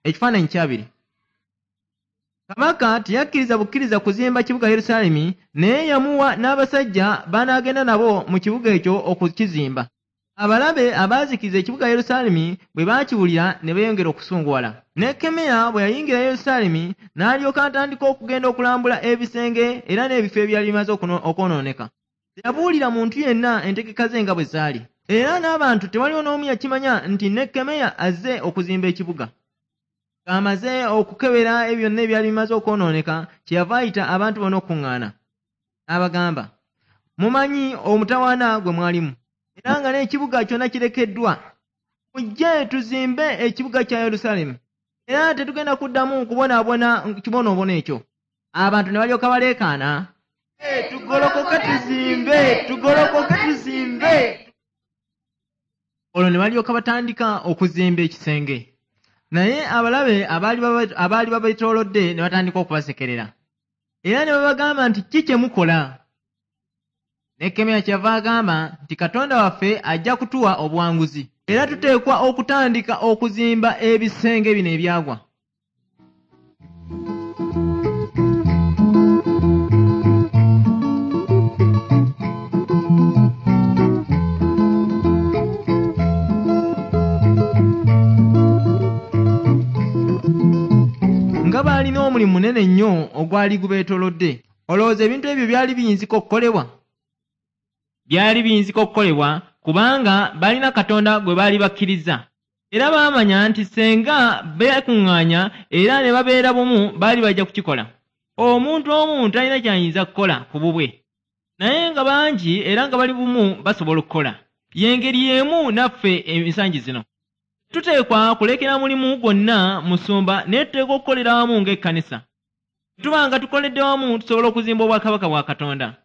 Ekifaananyi kyabiri. Kabaka teyakkiriza bukkiriza kuzimba kibuga Yerusaalemi, naye yamuwa n'abasajja b'anaagenda nabo mu kibuga ekyo okukizimba. Abalabe abaazikiriza ekibuga Yerusaalemi bwe baakiwulira ne beeyongera okusunguwala. Nekkemiya bwe yayingira Yerusaalemi n'alyoka atandika okugenda okulambula ebisenge era n'ebifo ebyali bimaze okwonooneka. Teyabuulira muntu yenna entegeka ze nga bwe zaali. Era n'abantu tewaliwo n'omu yakimanya nti Nekkemiya azze okuzimba ekibuga. Ng'amaze okukebera ebyo byonna ebyali bimaze okwonooneka, kyeyava ayita abantu bonna okukuŋŋaana. N'abagamba, mumanyi omutawaana gwe mwalimu, era nga n'ekibuga kyonna kirekeddwa. Mujje tuzimbe ekibuga kya Yerusaalemi, era tetugenda kuddamu kubonaabona kibonoobono ekyo. Abantu ne balyoka baleekaana, tugolokoke tuzimbe, tugolokoke tuzimbe. Olwo ne balyoka batandika okuzimba ekisenge. Naye abalabe abaali babeetoolodde ne batandika okubasekerera. Era ne babagamba nti ki kye mukola? Nekkemiya kyeyava agamba nti Katonda waffe ajja kutuwa obuwanguzi. Era tuteekwa okutandika okuzimba ebisenge bino ebyagwa. Nga baalina omulimu munene nnyo ogwali gubeetoolodde. Olowooza ebintu ebyo byali biyinzika okukolebwa? Byali biyinzika okukolebwa kubanga balina Katonda gwe baali bakkiriza. Era baamanya nti senga beekuŋŋaanya era ne babeera bumu baali bajja kukikola. Omuntu omu talina ky'ayinza kukola ku bubwe. Naye nga bangi era nga bali bumu basobola okukola. Y'engeri y'emu naffe ensangi zino. Tuteekwa kulekera mulimu gwonna musumba naye tuteekwa okukolera wamu ng'ekkanisa. Tuba nga tukoledde wamu tusobola okuzimba obwakabaka bwa Katonda.